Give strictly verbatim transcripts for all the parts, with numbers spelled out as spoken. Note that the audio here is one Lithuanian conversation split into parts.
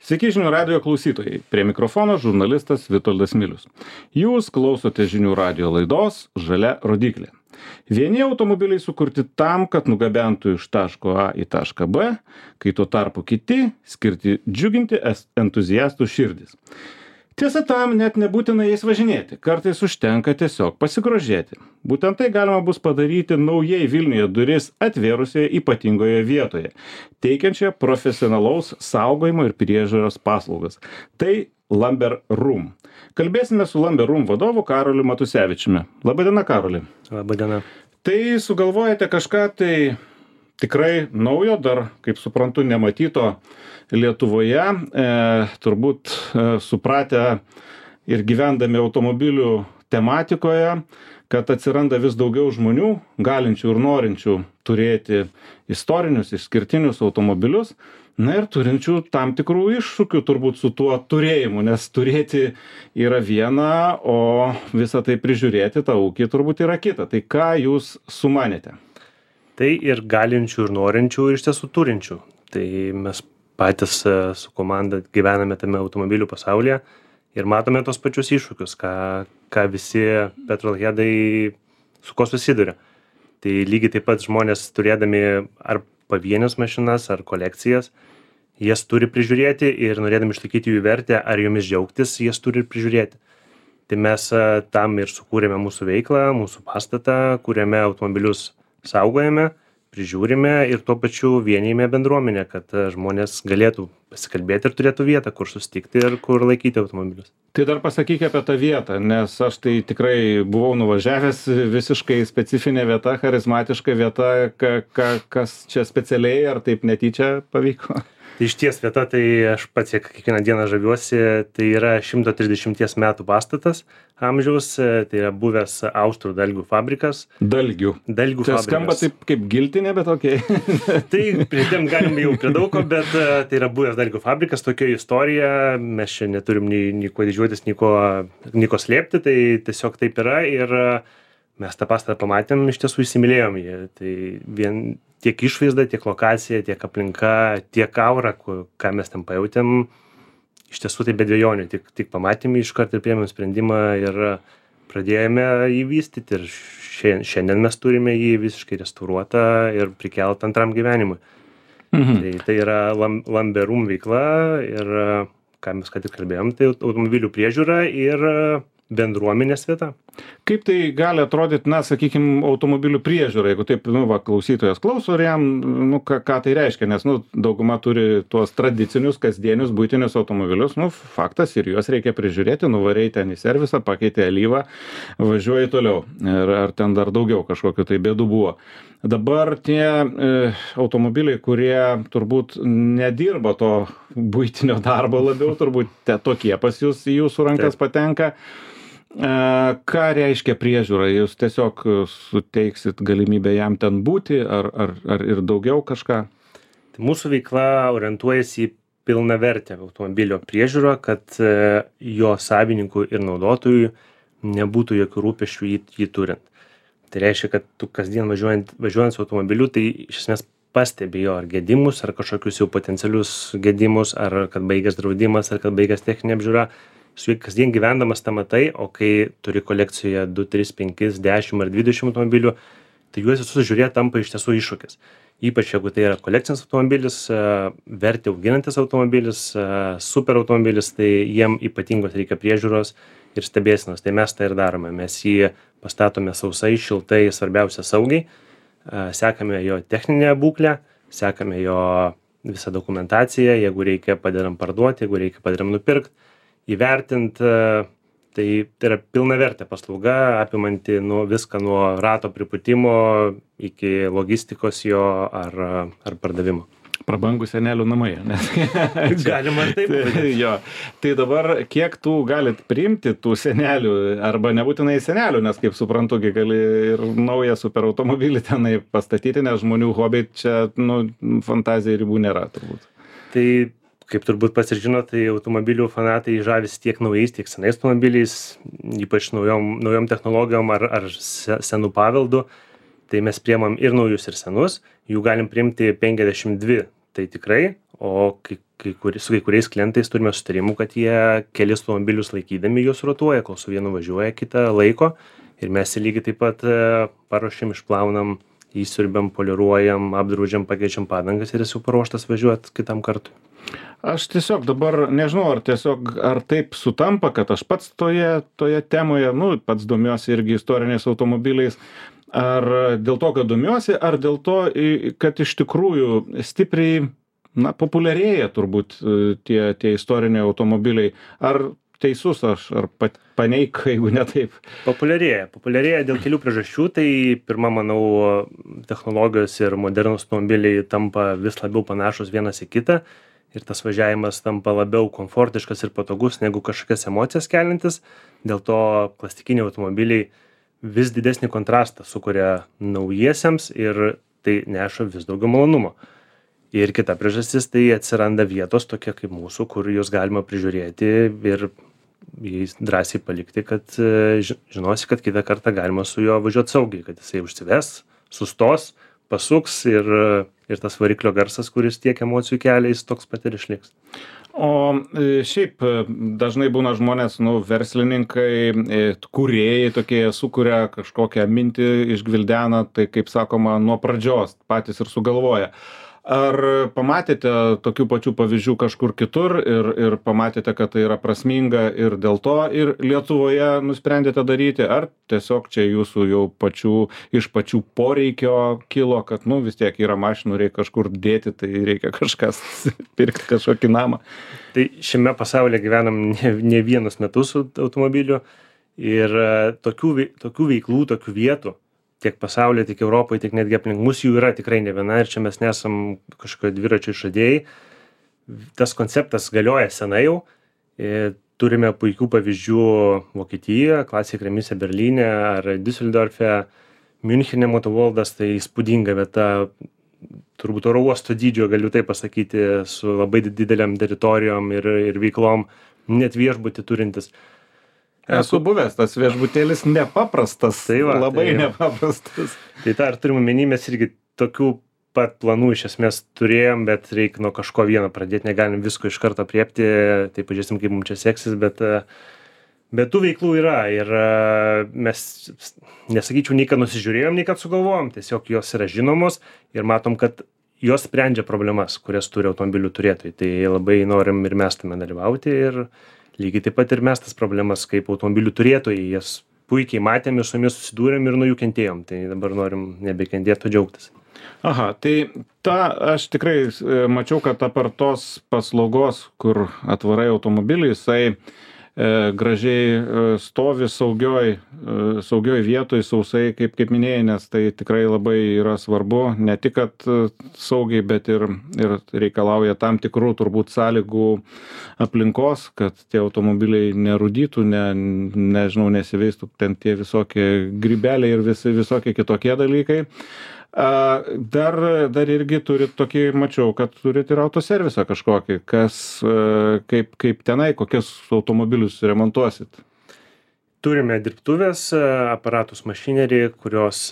Sveiki žinių radijo klausytojai. Prie mikrofono žurnalistas Vitoldas Milius. Jūs klausote žinių radijo laidos Žalia rodyklė. Vieni automobiliai sukurti tam, kad nugabentų iš taško A į tašką B, kai tuo tarpu kiti skirti džiuginti entuziastų širdis. Tiesa, tam net nebūtina jais važinėti, kartais užtenka tiesiog pasigrožėti. Būtent tai galima bus padaryti naujai Vilniuje duris atvėrusioje ypatingoje vietoje, teikiančioje profesionalaus saugojimo ir priežiūros paslaugas. Tai Lamber Room. Kalbėsime su Lamber Room vadovu Karoliu Matusevičiumi. Labadiena, Karoli. Labadiena. Tai sugalvojate kažką tai tikrai naujo, dar, kaip suprantu, nematyto Lietuvoje, e, turbūt e, supratę ir gyvendami automobilių tematikoje, kad atsiranda vis daugiau žmonių, galinčių ir norinčių turėti istorinius, išskirtinius automobilius, na ir turinčių tam tikrų iššūkių turbūt su tuo turėjimu, nes turėti yra viena, o visą tai prižiūrėti, tą ūkį turbūt yra kita. Tai ką jūs sumanėte? Tai ir galinčių, ir norinčių, ir iš tiesų turinčių. Tai mes patys su komanda gyvename tame automobilių pasaulyje ir matome tos pačius iššūkius, ką, ką visi petrolheadai su ko susiduria. Tai lygiai taip pat žmonės turėdami ar pavienius mašinas, ar kolekcijas, jas turi prižiūrėti ir norėdami išlaikyti jų vertę, ar jomis džiaugtis, jas turi ir prižiūrėti. Tai mes tam ir sukūrėme mūsų veiklą, mūsų pastatą, kuriame automobilius saugojame, prižiūrime ir tuo pačiu vienijame bendruomenę, kad žmonės galėtų pasikalbėti ir turėtų vietą, kur susitikti ir kur laikyti automobilius. Tai dar pasakyk apie tą vietą, nes aš tai tikrai buvau nuvažiavęs, visiškai specifinė vieta, charizmatiška vieta, ka, ka, kas čia specialiai ar taip netyčia pavyko? Tai išties vieta, tai aš pats kiekvieną dieną žaviuosi, tai yra šimto trisdešimties metų pastatas amžiaus, tai yra buvęs Austrų dalgių fabrikas. Dalgių. Dalgių tai fabrikas. Skamba taip kaip giltinė, bet okei. Okay. Tai pridėm galim jau prie daug ko, bet tai yra buvęs dalgių fabrikas, tokia istorija, mes čia neturim nei, nei ko didžiuotis, nei ko, nei ko slėpti, tai tiesiog taip yra ir mes tą pastatą pamatėm, iš tiesų įsimylėjom jį. Tai vien tiek išvaizda, tiek lokacija, tiek aplinka, tiek aura, ką mes ten pajautėm, iš tiesų tai be dvejonių, tik, tik pamatėm iš karto ir priėmėm sprendimą ir pradėjome jį vystyti ir šiandien mes turime jį visiškai restauruotą ir prikelt antram gyvenimui. Mhm. Tai, tai yra Lamber Room veikla ir ką mes ką tik kalbėjom, tai automobilių priežiūra ir bendruomenės vieta. Kaip tai gali atrodyti, na, sakykime, automobilių priežiūra, jeigu taip, nu, va, klausytojas klauso ir jam, nu, ką, ką tai reiškia, nes, nu, dauguma turi tuos tradicinius, kasdienius, buitinius automobilius, nu, faktas ir juos reikia prižiūrėti, nuvarei ten į servisą, pakeitė alyvą, važiuoji toliau. Ir ar ten dar daugiau kažkokiu tai bėdų buvo. Dabar tie e, automobiliai, kurie turbūt nedirba to buitinio darbo labiau, turbūt te, tokie pas jūs į jūsų rankas Taip. patenka. E, ką reiškia priežiūra? Jūs tiesiog suteiksit galimybę jam ten būti ar, ar, ar ir daugiau kažką? Tai mūsų veikla orientuojasi į pilnavertę automobilio priežiūrą, kad e, jo savininkų ir naudotojų nebūtų jokių rūpesčių jį, jį turint. Tai reiškia, kad tu kasdien važiuojant, važiuojant su automobiliu, tai iš esmės pastebi jo ar gedimus, ar kažkokius jau potencialius gedimus, ar kad baigęs draudimas, ar kad baigęs techninė apžiūra. Su juo kasdien gyvendamas tą matai, o kai turi kolekcijoje du, tris, penkis, dešimt ar dvidešimt automobilių, tai juos visus žiūrėti tampa iš tiesų iššūkis. Ypač jeigu tai yra kolekcinis automobilis, vertę auginantis automobilis, super automobilis, tai jiem ypatingos reikia priežiūros ir stebėsenos. Tai mes tai ir darome. Mes jį pastatome sausai, šiltai, svarbiausia saugiai, sekame jo techninę būklę, sekame jo visą dokumentaciją, jeigu reikia padedam parduoti, jeigu reikia padedam nupirkti, įvertinti, tai, tai yra pilnavertė paslauga, apimanti nu, viską nuo rato pripūtimo iki logistikos jo ar, ar pardavimo. Prabangų senelių namai, nes galima ir taip. Tai, jo. Tai dabar kiek tų galit priimti tų senelių, arba nebūtinai senelių, nes kaip suprantu, gali ir naują super automobilį tenai pastatyti, nes žmonių hobiai čia, nu, fantazijai ribų nėra turbūt. Tai kaip turbūt pats ir žino, tai automobilių fanatai žavis tiek naujais, tiek senais automobiliais, ypač naujom, naujom technologijom ar, ar senų paveldų. Tai mes priemam ir naujus, ir senus, jų galim priimti penkiasdešimt dvi, tai tikrai, o kai kai kuri su kai kuriais klientais turime sutarimų, kad jie kelis automobilius laikydami juos rotuoja, kol su vienu važiuoja, kitą laiko. Ir mes jį lygiai taip pat paruošiam, išplaunam, įsiurbiam, poliruojam, apdraudžiam, pakeičiam padangas ir jis jau paruoštas važiuot kitam kartui. Aš tiesiog dabar nežinau, ar tiesiog, ar taip sutampa, kad aš pats toje, toje temoje, nu, pats domiuosi irgi istoriniais automobiliais, ar dėl to, kad domiuosi, ar dėl to, kad iš tikrųjų stipriai, na, populiarėja turbūt tie, tie istoriniai automobiliai. Ar teisus aš, ar paneik, jeigu ne taip? Populiarėja. Populiarėja dėl kelių priežasčių. Tai pirma, manau, technologijos ir modernūs automobiliai tampa vis labiau panašus vienas į kitą. Ir tas važiavimas tampa labiau komfortiškas ir patogus negu kažkokias emocijas keliantis. Dėl to plastikiniai automobiliai vis didesnį kontrastą sukuria naujiesiems ir tai neša vis daugiau malonumo. Ir kita priežastis, tai atsiranda vietos tokie kaip mūsų, kur juos galima prižiūrėti ir jais drąsiai palikti, kad žinosi, kad kitą kartą galima su juo važiuoti saugiai, kad jisai užsives, sustos, pasuks ir, ir tas variklio garsas, kuris tiek emocijų kelia, jis toks pat ir išliks. O šiaip dažnai būna žmonės, nu, verslininkai, kūrėjai tokie, sukuria kažkokią mintį, išgvildena, tai kaip sakoma, nuo pradžios patys ir sugalvoja. Ar pamatėte tokių pačių pavyzdžių kažkur kitur ir, ir pamatėte, kad tai yra prasminga ir dėl to ir Lietuvoje nusprendėte daryti, ar tiesiog čia jūsų jau pačių, iš pačių poreikio kilo, kad, nu, vis tiek yra mašinų, reikia kažkur dėti, tai reikia kažkas pirkti kažkokį namą? Tai šiame pasaulyje gyvenam ne, ne vienus metus automobilių ir tokių, tokių veiklų, tokių vietų, tiek pasaulyje, tiek Europoje, tiek netgi aplink mus jų yra tikrai ne viena ir čia mes nesam kažkokio dviračio išradėjai. Tas konceptas galioja senai jau. Turime puikių pavyzdžių Vokietijoje, Classic Remise Berlyne ar Düsseldorfe, Münchene Motoworldas, tai įspūdinga vieta, turbūt oro uosto dydžio, galiu tai pasakyti, su labai dideliam teritorijom ir, ir veiklom, net viešbutį turintis. Esu buvęs, tas viešbutėlis nepaprastas, tai va, labai tai nepaprastas. Tai tą ir turim omeny, mes irgi tokių pat planų iš esmės turėjom, bet reikia nuo kažko vieno pradėti, negalim visko iš karto apriepti, tai pažiūrėsim, kaip mums čia seksis, bet, bet tų veiklų yra ir mes, nesakyčiau, nei kad nusižiūrėjom, nei kad sugalvojom, tiesiog jos yra žinomos ir matom, kad jos sprendžia problemas, kurias turi automobilių turėtojai, tai labai norim ir mes tame dalyvauti ir lygiai taip pat ir mes tas problemas kaip automobilių turėtojai, jas puikiai matėm ir su jomis susidūrėm ir nuo jų kentėjom, tai dabar norim nebekentėti, o džiaugtis. Aha, tai tą aš tikrai mačiau, kad apart tos paslaugos, kur atvarai automobilį, jisai e, gražiai stovi saugioj, saugioj vietoj, sausai, kaip, kaip minėjai, nes tai tikrai labai yra svarbu, ne tik, kad saugiai, bet ir, ir reikalauja tam tikrų turbūt sąlygų aplinkos, kad tie automobiliai nerūdytų, ne, nežinau, nesiveistų ten tie visokie grybeliai ir visi, visokie kitokie dalykai. Dar, dar irgi turit tokį, mačiau, kad turit ir autoservisą kažkokį, kas, kaip, kaip tenai, kokius automobilius remontuosit? Turime dirbtuvės, aparatus mašinerį, kurios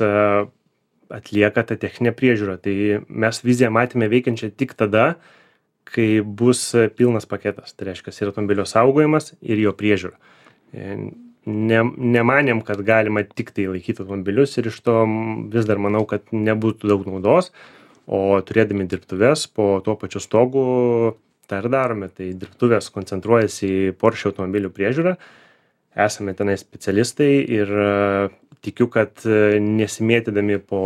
atlieka tą techninę priežiūrą. Tai mes viziją matėme veikiančią tik tada, kai bus pilnas paketas. Tai reiškia, ir automobilio saugojimas ir jo priežiūra. Ne, nemanėm, kad galima tik tai laikyti automobilius ir iš to vis dar manau, kad nebūtų daug naudos, o turėdami dirbtuves po tuo pačiu stogu tą ir darome. Tai dirbtuvės koncentruojasi į Porsche automobilių priežiūrą, esame tenai specialistai ir tikiu, kad nesimėtydami po,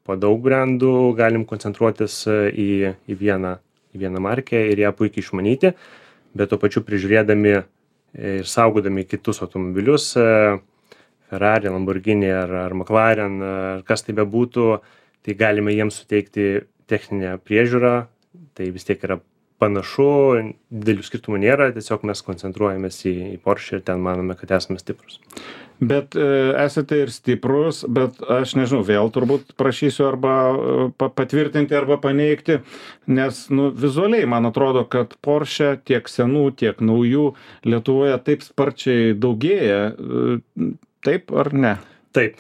po daug brandų galim koncentruotis į, į, vieną, į vieną markę ir ją puikiai išmanyti, bet tuo pačiu prižiūrėdami ir saugodami kitus automobilius, Ferrari, Lamborghini ar, ar McLaren, ar kas tai bebūtų, tai galime jiems suteikti techninę priežiūrą, tai vis tiek yra panašu, didelių skirtumų nėra, tiesiog mes koncentruojamės į, į Porsche ir ten manome, kad esame stiprus. Bet e, esate ir stiprus, bet aš nežinau, vėl turbūt prašysiu arba pa, patvirtinti arba paneigti, nes nu, vizualiai man atrodo, kad Porsche tiek senų, tiek naujų Lietuvoje taip sparčiai daugėja, taip ar ne? Taip,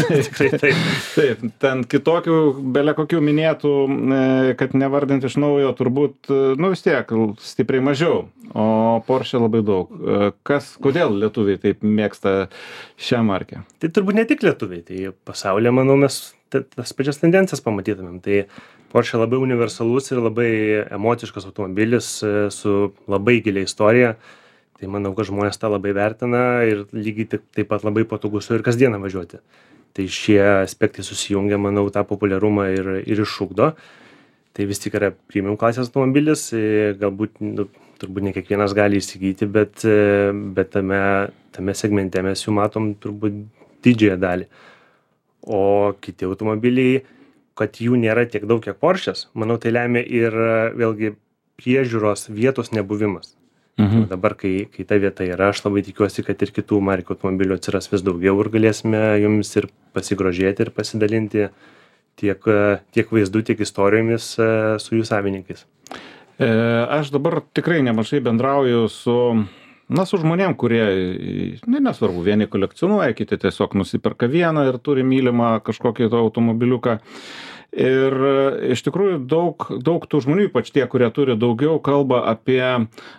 tikrai taip. Taip, ten kitokių, belia kokių minėtų, e, kad nevardint iš naujo, turbūt, e, nu vis tiek, stipriai mažiau, o Porsche labai daug. E, Kas, kodėl lietuviai taip mėgsta šią markę? Tai turbūt ne tik lietuviai, tai pasaulyje, manau, mes ta- tas pačias tendencijas pamatytumėm. Tai Porsche labai universalus ir labai emociškas automobilis e, su labai gilia istorija. Tai manau, kad žmonės tą labai vertina ir lygiai taip, taip pat labai patogu su ir kasdieną važiuoti. Tai šie aspektai susijungia, manau, tą populiarumą ir, ir iššūkdo. Tai vis tik yra premium klasės automobilis, e, galbūt, nu, turbūt ne kiekvienas gali įsigyti, bet, e, bet tame, tame segmente mes jų matom turbūt didžiąją dalį. O kiti automobiliai, kad jų nėra tiek daug, kiek Porsche'as, manau, tai lemia ir e, vėlgi priežiūros vietos nebuvimas. Mhm. Dabar, kai, kai ta vieta yra, aš labai tikiuosi, kad ir kitų markių automobilių atsiras vis daugiau ir galėsime jums ir pasigrožėti ir pasidalinti tiek, tiek vaizdų, tiek istorijomis e, su jų savininkais. E, Aš dabar tikrai nemažai bendrauju su, na, su žmonėm, kurie, ne, nesvarbu, vieni kolekcionuoja, kiti tiesiog nusiperka vieną ir turi mylimą kažkokį to automobiliuką. Ir e, iš tikrųjų daug, daug tų žmonių, ypač tie, kurie turi daugiau, kalba apie,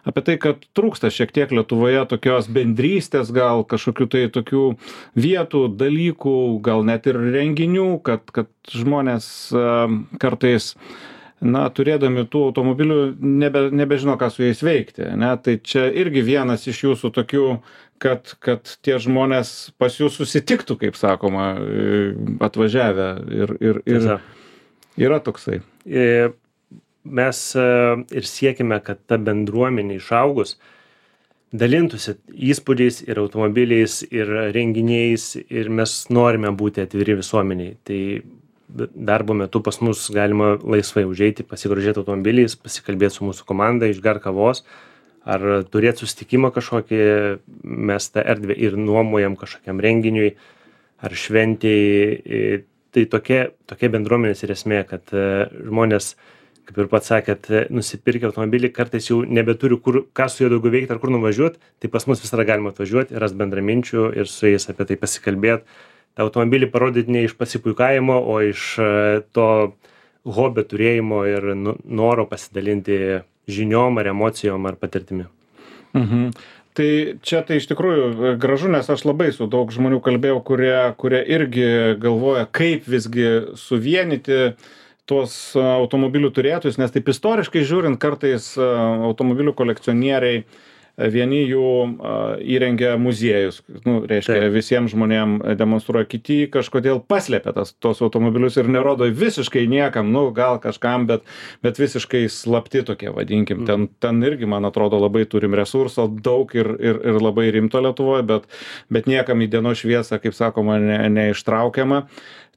apie tai, kad trūksta šiek tiek Lietuvoje tokios bendrystės, gal kažkokių tai tokių vietų, dalykų, gal net ir renginių, kad, kad žmonės e, kartais, na, turėdami tų automobilių, nebe, nebežino, ką su jais veikti. Ne? Tai čia irgi vienas iš jūsų tokių, kad, kad tie žmonės pas jūs susitiktų, kaip sakoma, e, atvažiavę ir, ir, ir Tiesa. yra toksai. E, Mes e, ir siekime, kad ta bendruomenė išaugus dalintųsi įspūdžiais ir automobiliais ir renginiais ir mes norime būti atviri visuomeniai. Tai darbo metu pas mus galima laisvai užeiti, pasigrožėti automobiliais, pasikalbėti su mūsų komanda, išgerti kavos ar turėti susitikimą kažkokį, mes tą erdvę ir nuomojam kažkokiam renginiui ar šventėjai. Tai tokia, tokia bendruomenės ir esmė, kad e, žmonės, kaip ir pats sakėt, e, nusipirkę automobilį, kartais jau nebeturi, kur, ką su juo daugiau veikti ar kur nuvažiuoti, tai pas mus visada galima atvažiuoti, rast bendraminčių ir su jais apie tai pasikalbėti. tą automobilį parodyti ne iš pasipuikavimo, o iš to hobio turėjimo ir noro pasidalinti žiniom ar emocijom ar patirtimi. Mhm. Tai čia tai iš tikrųjų gražu, nes aš labai su daug žmonių kalbėjau, kurie, kurie irgi galvoja, kaip visgi suvienyti tuos automobilių turėtojus, nes taip istoriškai žiūrint, kartais automobilių kolekcionieriai, vieni jų įrengia muziejus, nu, reiškia, Taip. visiems žmonėm demonstruoja, kiti kažkodėl paslėpia tas, tos automobilius ir nerodo visiškai niekam, nu, gal kažkam, bet, bet visiškai slapti tokie, vadinkim. Ten, ten irgi, man atrodo, labai turim resurso, daug ir, ir, ir labai rimto Lietuvoje, bet, bet niekam į dienos šviesą, kaip sakoma, ne, neištraukiama.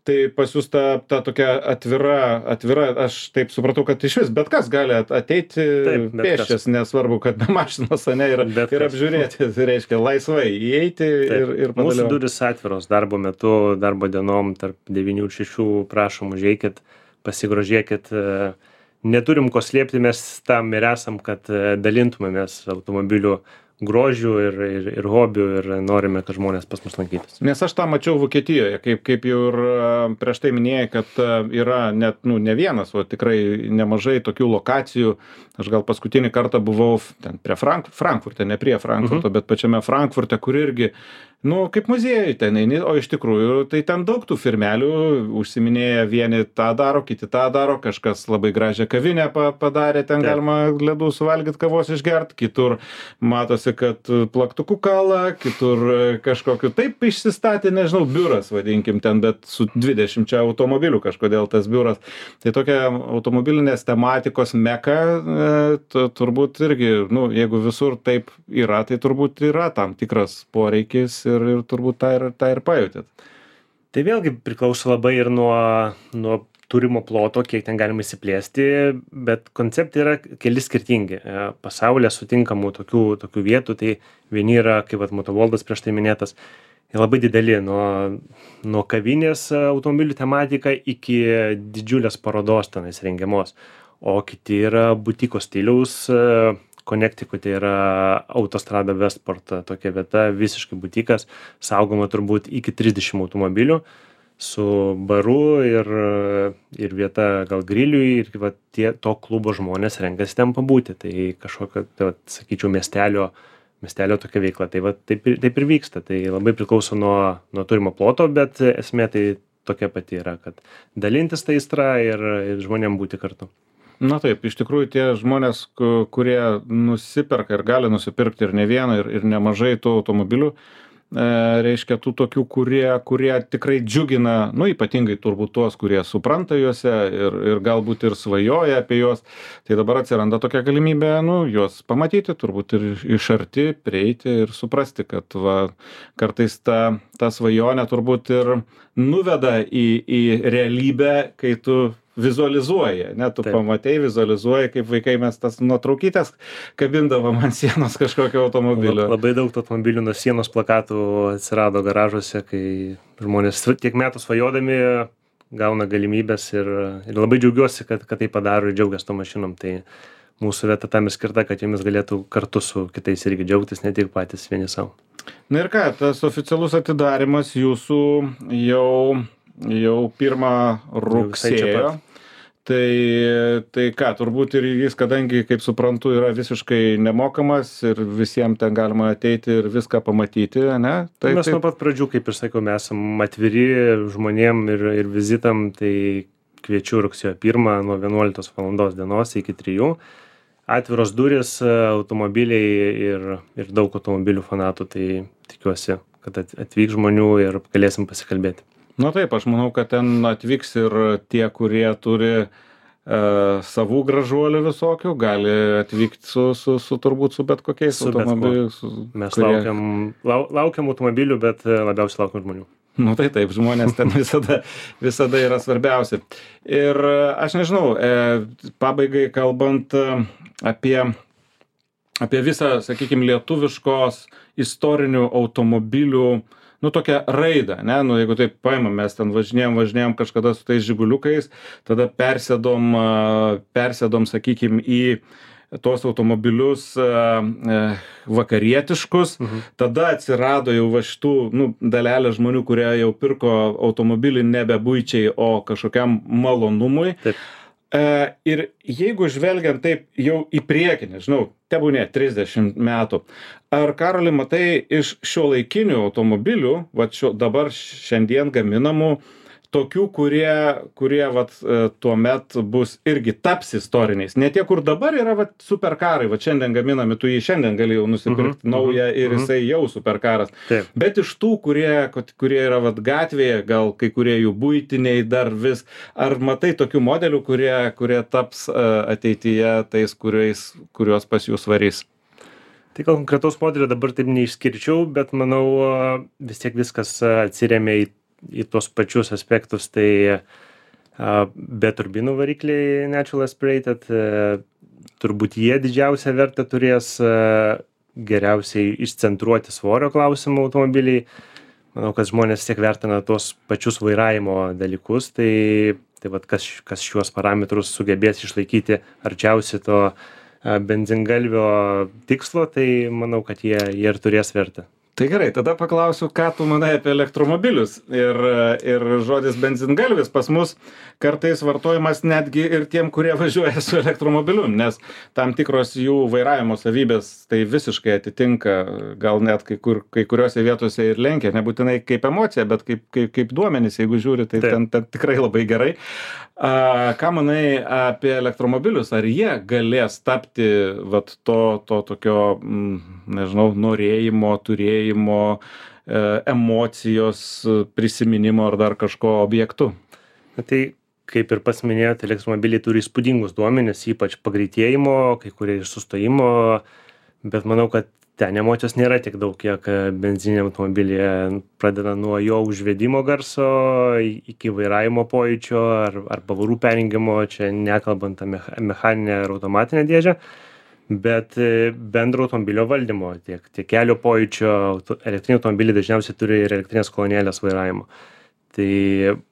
Tai pas jūs ta, ta tokia atvira, atvira, aš taip supratau, kad iš vis bet kas gali ateiti pėsčias, nesvarbu, kad be mašinos, ne, ir, ir apžiūrėti, tai reiškia laisvai įeiti Taip. ir, ir padalyvauti. Mūsų durys atviros darbo metu, darbo dienom, tarp devynių ir šešių, prašom, užeikit, pasigrožėkit. Neturim ko slėpti, mes tam ir esam, kad dalintumėmės automobilių grožių ir, ir, ir hobių ir norime, kad žmonės pas mus lankytųsi. Nes aš tą mačiau Vokietijoje, kaip, kaip jau ir prieš tai minėjai, kad yra net, nu, ne vienas, o tikrai nemažai tokių lokacijų. Aš gal paskutinį kartą buvau ten prie Frank, Frankfurte, ne prie Frankfurto, mhm. bet pačiame Frankfurte, kur irgi, nu, kaip muziejai ten eini, o iš tikrųjų tai ten daug tų firmelių užsiminėja, vieni tą daro, kiti tą daro, kažkas labai gražią kavinę padarė, ten Taip. galima ledų suvalgyti, kavos išgerti, kitur matosi, kad plaktukų kala, kitur kažkokiu taip išsistatė, nežinau, biuras, vadinkim ten, bet su dvidešimčia automobilių kažkodėl tas biuras. Tai tokia automobilinės tematikos meka, e, turbūt irgi, nu, jeigu visur taip yra, tai turbūt yra tam tikras poreikis ir, ir turbūt tą ir, tą ir pajutėt. Tai vėlgi priklauso labai ir nuo, nuo turimo ploto, kiek ten galima įsiplėsti, bet konceptai yra keli skirtingi. Pasaulyje sutinkamų tokių, tokių vietų, tai vieni yra, kaip vat Motovoldas prieš tai minėtas, labai dideli, nuo, nuo kavinės automobilių tematika iki didžiulės parodos tenais rengiamos, o kiti yra butiko stiliaus, Connecticut'e yra Autostrada Westport tokia vieta, visiškai butikas, saugoma turbūt iki trisdešimt automobilių su baru ir, ir vieta gal griliui ir va, tie, to klubo žmonės renkasi ten pabūti. Tai kažkokio, tai, va, sakyčiau, miestelio, miestelio tokia veikla. Tai va, taip, ir- taip ir vyksta. Tai labai priklauso nuo, nuo turimo ploto, bet esmė tai tokia pati yra, kad dalintis tą aistrą ir, ir žmonėm būti kartu. Na taip, iš tikrųjų tie žmonės, ku- kurie nusiperka ir gali nusipirkti ir ne vieną, ir, ir nemažai tų automobilių, e, reiškia tų tokių, kurie, kurie tikrai džiugina, nu ypatingai turbūt tuos, kurie supranta juose ir, ir galbūt ir svajoja apie juos, tai dabar atsiranda tokia galimybė, nu, juos pamatyti, turbūt ir iš arti prieiti ir suprasti, kad va, kartais ta, ta svajonė turbūt ir nuveda į, į realybę, kai tu vizualizuoji, ne, tu Taip. pamatei, vizualizuoji, kaip vaikai mes tas nuotraukytės kabindavom ant sienos kažkokio automobilio. Labai daug tų automobilių nuo sienos plakatų atsirado garažuose, kai žmonės tiek metų svajodami gauna galimybės ir, ir labai džiaugiuosi, kad, kad tai padaro ir džiaugiasi to mašinom. Tai mūsų vieta tam ir skirta, kad jomis galėtų kartu su kitais irgi džiaugtis, ne tik patys vieni savo. Na ir ką, tas oficialus atidarimas jūsų jau, jau pirmą visai čia rugsėjo. pat. Tai, tai ką, turbūt ir jis, kadangi, kaip suprantu, yra visiškai nemokamas ir visiems ten galima ateiti ir viską pamatyti, ne? Tai, Mes tai, nuo pat pradžių, kaip ir sakiau, mes esam atviri žmonėm ir, ir vizitam, tai kviečiu rugsėjo pirmą nuo vienuoliktos valandos dienos iki trijų. Atviros duris, automobiliai ir, ir daug automobilių fanatų, tai tikiuosi, kad at- atvyks žmonių ir galėsim pasikalbėti. na taip, aš manau, kad ten atvyks ir tie, kurie turi e, savų gražuolių visokių, gali atvykti su, su, su turbūt su bet kokiais Su bet kuo. automobiliais. su- Mes kurie- laukiam, lau, laukiam automobilių, bet e, labiausiai laukiam žmonių. Nu tai taip, žmonės ten visada, visada yra svarbiausi. Ir e, aš nežinau, e, pabaigai kalbant e, apie, apie visą, sakykime, lietuviškos istorinių automobilių, nu tokią raidą, ne, nu jeigu taip paimam, mes ten važinėjom, važinėjom kažkada su tais žiguliukais, tada persėdom, e, persėdom, sakykime, į tuos automobilius e, e, vakarietiškus, Mhm. tada atsirado jau va šitų, nu, dalelė žmonių, kurie jau pirko automobilį nebe buičiai, o kažkokiam malonumui. Taip. E, ir jeigu žvelgiant taip jau į priekį, nežinau, tebūnė trisdešimt metų, ar Karoli matai iš šiuolaikinių automobilių, va šio, dabar šiandien gaminamų, tokių, kurie, kurie vat, e, tuomet bus irgi taps istoriniais. Ne tie, kur dabar yra vat, superkarai, va šiandien gaminami, tu jį šiandien gali jau nusipirkti Mhm, naują mhm, ir mhm. jisai jau superkaras. Taip. Bet iš tų, kurie, kad- kurie yra vat, gatvėje, gal kai kurie jų būtiniai dar vis, ar matai tokių modelių, kurie, kurie taps e, ateityje tais, kuriais, kuriuos pas jūs varys? Tai gal konkretaus modelio dabar taip neišskirčiau, bet manau a, vis tiek viskas a, atsiremia į, į tuos pačius aspektus. Tai a, be turbinų varikliai Natural Aspirated, a, turbūt jie didžiausią vertę turės, a, geriausiai išcentruoti svorio klausimų automobiliai. Manau, kad žmonės vis tiek vertina tuos pačius vairavimo dalykus, tai, tai vat, kas, kas šiuos parametrus sugebės išlaikyti arčiausiai to a, benzingalvio tikslo, tai manau, kad jie, jie ir turės vertę. Tai gerai, tada paklausiu, ką tu manai apie elektromobilius. Ir, ir žodis benzingalvis pas mus kartais vartojamas netgi ir tiem, kurie važiuoja su elektromobiliu, nes tam tikros jų vairavimo savybės tai visiškai atitinka, gal net kai, kur, kai kuriuose vietose ir lenkia, nebūtinai kaip emocija, bet kaip, kaip, kaip duomenys, jeigu žiūri, tai Taip. ten, ten tikrai labai gerai. A, ką manai apie elektromobilius? Ar jie galės tapti vat, to, to tokio, mm, nežinau, norėjimo, turėjimo, e, emocijos, prisiminimo ar dar kažko objektu? Na, tai kaip ir pats minėjote, elektromobiliai turi įspūdingus duomenis, ypač pagreitėjimo, kai kurie ir sustojimo, bet manau, kad ten emocijos nėra tiek daug, kiek benzininiam automobilyje, pradeda nuo jo užvedimo garso i- iki vairavimo pojūčio ar, ar pavarų perjungimo, čia nekalbant apie mecha- mechaninę ar automatinę dėžę, bet e, bendro automobilio valdymo, tiek, tiek kelio pojūčio, auto- elektriniai automobiliai dažniausiai turi ir elektrinės kolonėlės vairavimo. Tai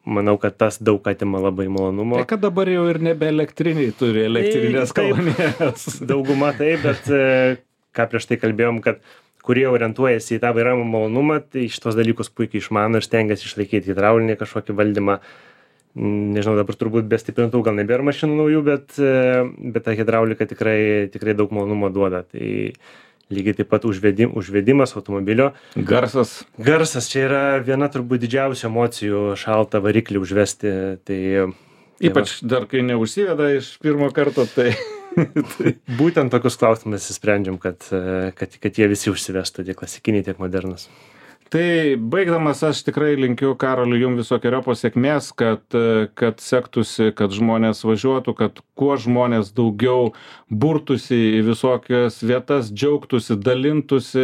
manau, kad tas daug atima labai malonumo. Tai kad dabar jau ir nebe elektriniai turi elektrinės kolonėlės. Dauguma taip, bet ką prieš tai kalbėjom, kad kurie orientuojasi į tą vairavimo malonumą, tai šitos dalykus puikiai išmano ir stengiasi išlaikyti hidraulinį kažkokį valdymą. Nežinau, dabar turbūt be stiprintuvų gal nebėra mašinų naujų, bet, bet ta hidraulika tikrai, tikrai daug malonumo duoda. Tai lygiai taip pat užvedim, užvedimas automobilio. Garsas. Garsas, čia yra viena turbūt didžiausių emocijų šaltą variklį užvesti. Tai, Ypač tai dar kai neužsiveda iš pirmo karto, tai... tai būtent tokius klausimus įsprendžiam, kad, kad, kad jie visi užsivestų, tiek klasikiniai, tiek modernus. Tai baigdamas aš tikrai linkiu Karoliui jums visokeriopos sėkmės, kad, kad sektųsi, kad žmonės važiuotų, kad kuo žmonės daugiau burtųsi į visokias vietas, džiaugtųsi, dalintųsi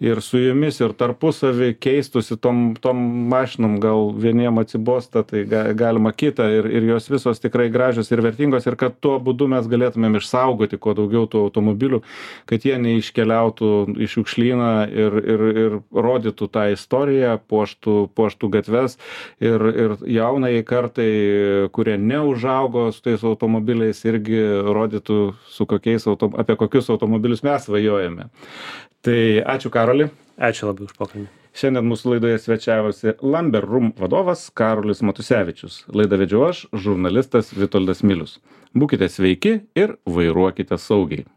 ir su jumis, ir tarpusavį keistųsi tom, tom mašinom, gal vieniem atsibosta, tai ga, galima kitą ir, ir jos visos tikrai gražios ir vertingos ir kad tuo būdu mes galėtumėm išsaugoti kuo daugiau tų automobilių, kad jie neiškeliautų į šiukšlyną ir, ir, ir rodytų tą istoriją, puoštų, puoštų gatves ir, ir jaunai kartai, kurie neužaugo su tais automobiliais, irgi rodytų, su kokiais auto, apie kokius automobilius mes svajojame. Tai ačiū Karoli. Ačiū labai už pokalbį. Šiandien mūsų laidoje svečiavosi Lamber Room vadovas Karolis Matusevičius. Laidą vedžiau aš, žurnalistas Vitoldas Milius. Būkite sveiki ir vairuokite saugiai.